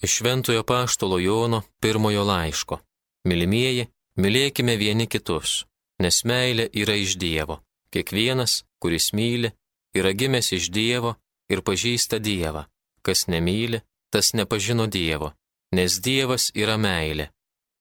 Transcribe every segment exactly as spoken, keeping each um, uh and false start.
Iš Šventojo Apaštalo Jono pirmojo laiško. Mylimieji, mylėkime vieni kitus, nes meilė yra iš Dievo. Kiekvienas, kuris myli, yra gimęs iš Dievo ir pažįsta Dievą. Kas nemyli, tas nepažino Dievo, nes Dievas yra meilė.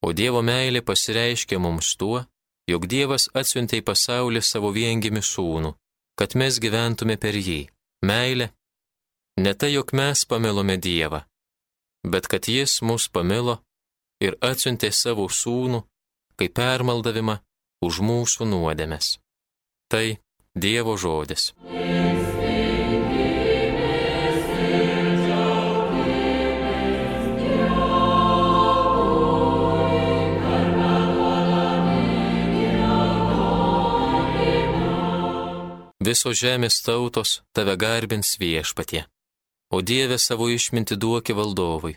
O Dievo meilė pasireiškia mums tuo, jog Dievas atsiuntė į pasaulį savo viengimį sūnų, kad mes gyventume per jį. Meilė ne tai, jog mes pamilome Dievą, bet kad Jis mus pamilo ir atsiuntė savo sūnų, kaip permaldavimą už mūsų nuodėmes. Tai Dievo žodis. Visos žemės tautos tave garbins Viešpatie, o Dieve savo išmintį duoki valdovui,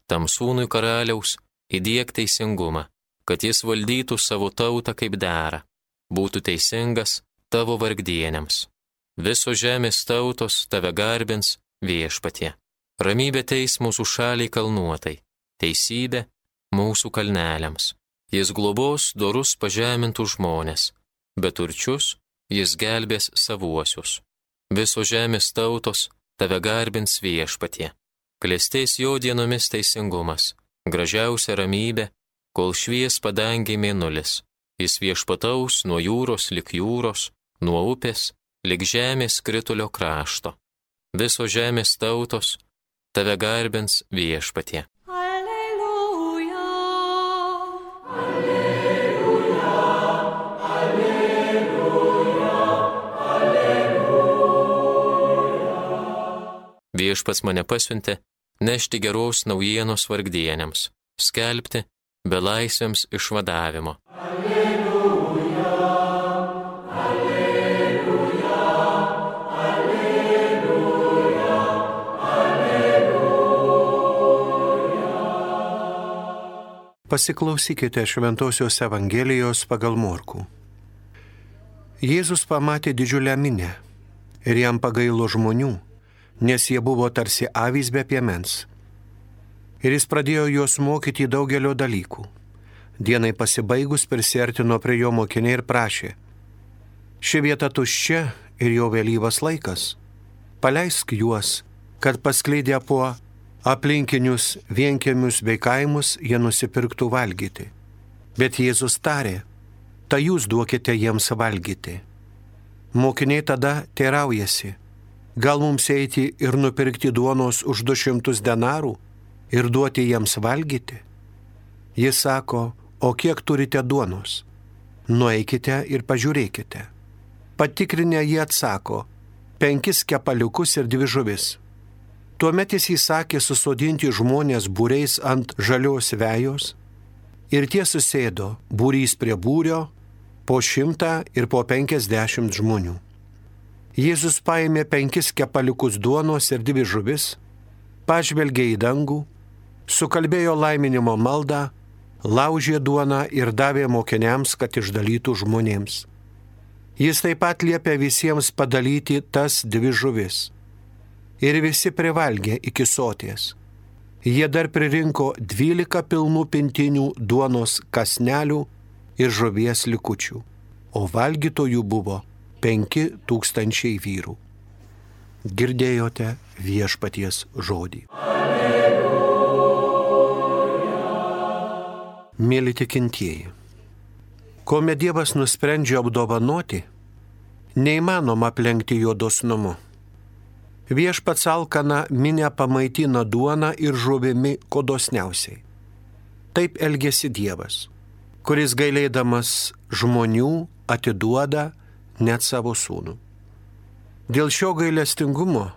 tam sūnui karaliaus įdiek teisingumą, kad jis valdytų savo tautą kaip dera, būtų teisingas tavo vargdieniams. Visos žemės tautos tave garbins Viešpatie. Ramybė teis mūsų šaliai kalnuotai, teisybė mūsų kalneliams. Jis globos dorus pažemintų žmonės, bet turčius Jis gelbės savuosius. Visos žemės tautos tave garbins Viešpatie. Klestės jo dienomis teisingumas, gražiausia ramybė, kol švies padangiai mėnulis. Jis viešpataus nuo jūros lik jūros, nuo upės lik žemės skritulio krašto. Visos žemės tautos tave garbins Viešpatie. Viešpats mane pasiuntė nešti geros naujienos vargdieniams, skelbti belaisviams išvadavimo. Alleluja, alleluja, alleluja, alleluja. Pasiklausykite Šventosios Evangelijos pagal Morkų. Jėzus pamatė didžiulę minią ir jam pagailo žmonių, nes jie buvo tarsi avys be piemens. Ir jis pradėjo juos mokyti daugelio dalykų. Dienai pasibaigus prisiartino prie jo mokiniai ir prašė: ši vieta tuščia ir jau vėlyvas laikas. Paleisk juos, kad paskleidę po aplinkinius vienkiemius bei kaimus jie nusipirktų valgyti. Bet Jėzus tarė: tai jūs duokite jiems valgyti. Mokiniai tada teiraujasi: gal mums eiti ir nupirkti duonos už du šimtus denarų ir duoti jiems valgyti? Jis sako: o kiek turite duonos? Nueikite ir pažiūrėkite. Patikrinę jie atsako: penkis kepaliukus ir dvi žuvis. Tuomet jis įsakė susodinti žmonės būriais ant žalios vejos, ir tie susėdo būrys prie būrio, po šimtą ir po penkiasdešimt žmonių. Jėzus paėmė penkis kepaliukus duonos ir dvi žuvis, pažvelgė į dangų, sukalbėjo laiminimo maldą, laužė duoną ir davė mokiniams, kad išdalytų žmonėms. Jis taip pat liepė visiems padalyti tas dvi žuvis. Ir visi privalgė iki soties. Jie dar pririnko dvylika pilnų pintinių duonos kąsnelių ir žuvies likučių, o valgytojų buvo penki tūkstančiai vyrų. Girdėjote Viešpaties žodį. Alleluja. Mėly tikintieji, kuomet Dievas nusprendžia apdovanoti, neįmanoma aplenkti jo dosnumu. Viešpats alkaną minią pamaitina duona ir žuvimi kuo dosniausiai. Taip elgėsi Dievas, kuris gailėdamas žmonių atiduoda net savo sūnų. Dėl šio gailestingumo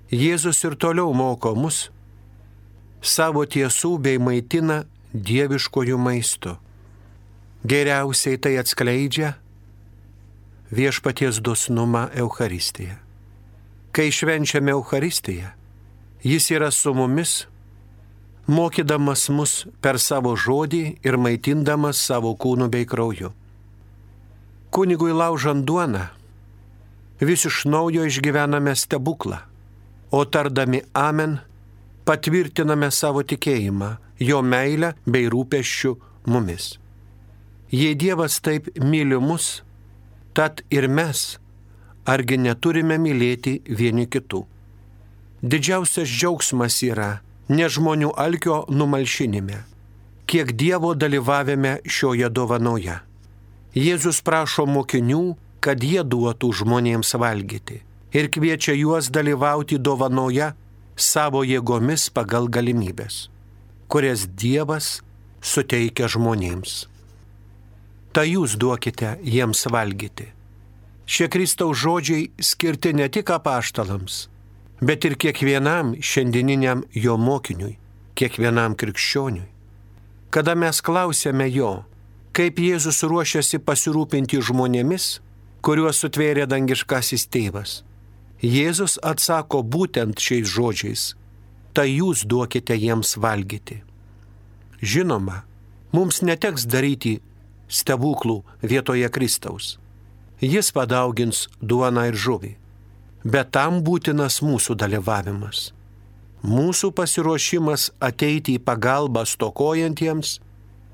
Jėzus ir toliau moko mus savo tiesų bei maitina dieviškojų maistu. Geriausiai tai atskleidžia Viešpaties dosnumą Eucharistiją. Kai švenčiame Eucharistiją, jis yra su mumis, mokydamas mus per savo žodį ir maitindamas savo kūnu bei krauju. Kunigui laužant duoną, vis iš naujo išgyvename stebuklą, o tardami amen, patvirtiname savo tikėjimą, jo meilę bei rūpesčių mumis. Jei Dievas taip myli mus, tad ir mes, argi neturime mylėti vieni kitų. Didžiausias džiaugsmas yra ne žmonių alkio numalšinime, kiek Dievo dalyvavime šioje dovanoje. Jėzus prašo mokinių, kad jie duotų žmonėms valgyti ir kviečia juos dalyvauti dovanoje savo jėgomis pagal galimybės, kurias Dievas suteikia žmonėms. Tai jūs duokite jiems valgyti. Šie Kristaus žodžiai skirti ne tik apaštalams, bet ir kiekvienam šiandieniniam jo mokiniui, kiekvienam krikščioniui. Kada mes klausėme jo, kaip Jėzus ruošiasi pasirūpinti žmonėmis, kuriuos sutvėrė dangiškasis tėvas, Jėzus atsako būtent šiais žodžiais: tai jūs duokite jiems valgyti. Žinoma, mums neteks daryti stebuklų vietoje Kristaus. Jis padaugins duoną ir žuvį, bet tam būtinas mūsų dalyvavimas. Mūsų pasiruošimas ateiti į pagalbą stokojantiems,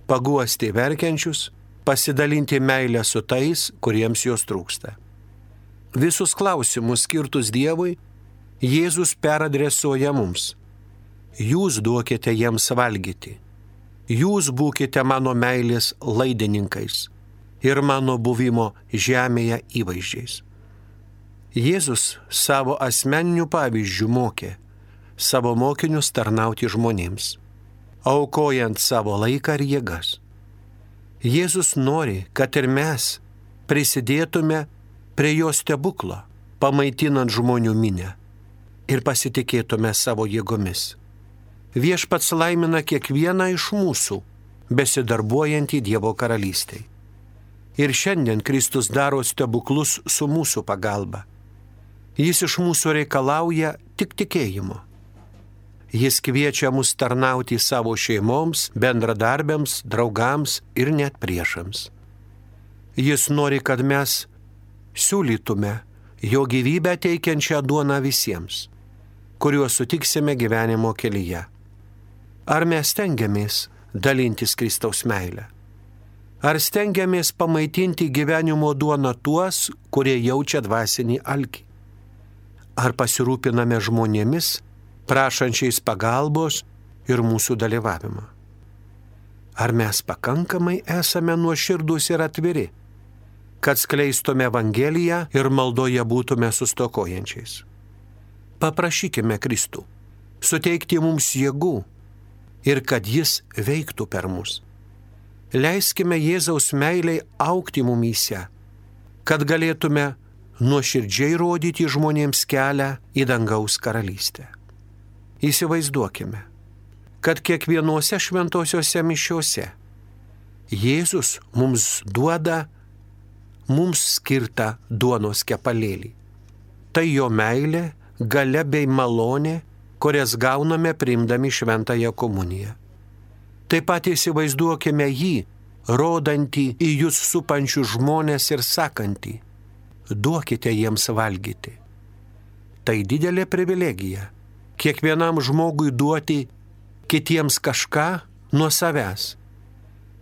paguosti verkiančius, pasidalinti meilę su tais, kuriems jos trūksta. Visus klausimus skirtus Dievui Jėzus peradresuoja mums. Jūs duokite jiems valgyti. Jūs būkite mano meilės laidininkais ir mano buvimo žemėje įvaizdžiais. Jėzus savo asmeniniu pavyzdžiu mokė savo mokinius tarnauti žmonėms, aukojant savo laiką ir jėgas. Jėzus nori, kad ir mes prisidėtume prie jo stebuklo, pamaitinant žmonių minę ir pasitikėtume savo jėgomis. Viešpats laimina kiekvieną iš mūsų, besidarbuojantį Dievo karalystėj. Ir šiandien Kristus daro stebuklus su mūsų pagalba. Jis iš mūsų reikalauja tik tikėjimo. Jis kviečia mus tarnauti savo šeimoms, bendradarbiams, draugams ir net priešams. Jis nori, kad mes siūlytume jo gyvybę teikiančią duoną visiems, kuriuos sutiksime gyvenimo kelyje. Ar mes stengiamės dalintis Kristaus meilę? Ar stengiamės pamaitinti gyvenimo duoną tuos, kurie jaučia dvasinį alkį? Ar pasirūpiname žmonėmis, prašančiais pagalbos ir mūsų dalyvavimą? Ar mes pakankamai esame nuoširdūs ir atviri, kad skleistume Evangeliją ir maldoje būtume sustokojančiais? Paprašykime Kristų suteikti mums jėgų ir kad jis veiktų per mus. Leiskime Jėzaus meiliai augti mumyse, kad galėtume nuoširdžiai rodyti žmonėms kelią į dangaus karalystę. Įsivaizduokime, kad kiekvienose šventosiose mišiose Jėzus mums duoda mums skirtą duonos kepalėlį. Tai jo meilė, galia bei malonė, kurias gauname priimdami šventąją komuniją. Taip pat įsivaizduokime jį, rodantį į jūs supančius žmonės ir sakantį: duokite jiems valgyti. Tai didelė privilegija kiekvienam žmogui duoti kitiems kažką nuo savęs,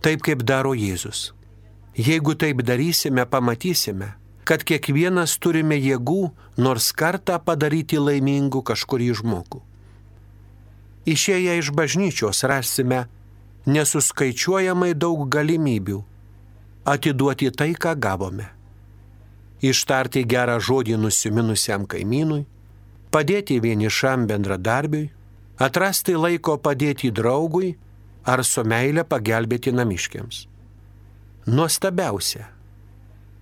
taip kaip daro Jėzus. Jeigu taip darysime, pamatysime, kad kiekvienas turime jėgų nors kartą padaryti laimingu kažkurį žmogų. Išėję iš bažnyčios rasime nesuskaičiuojamai daug galimybių atiduoti tai, ką gavome. Ištarti gerą žodį nusiminusiam kaimynui, padėti vienišam bendradarbiui, atrasti laiko padėti draugui ar su meile pagelbėti namiškiams. Nuostabiausia,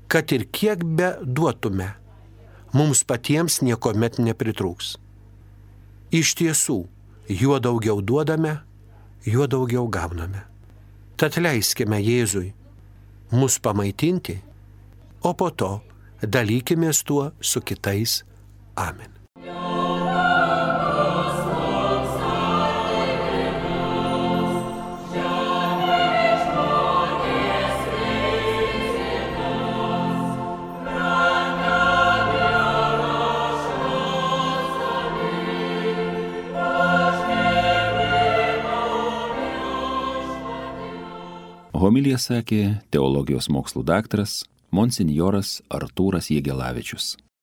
kad ir kiek be duotume, mums patiems niekuomet nepritrūks. Iš tiesų, juo daugiau duodame, juo daugiau gauname. Tad leiskime Jėzui mus pamaitinti, o po to dalykimės tuo su kitais. Amen. Amen. Homiliją sakė teologijos mokslų daktaras monsinjoras Artūras Jėgelavičius.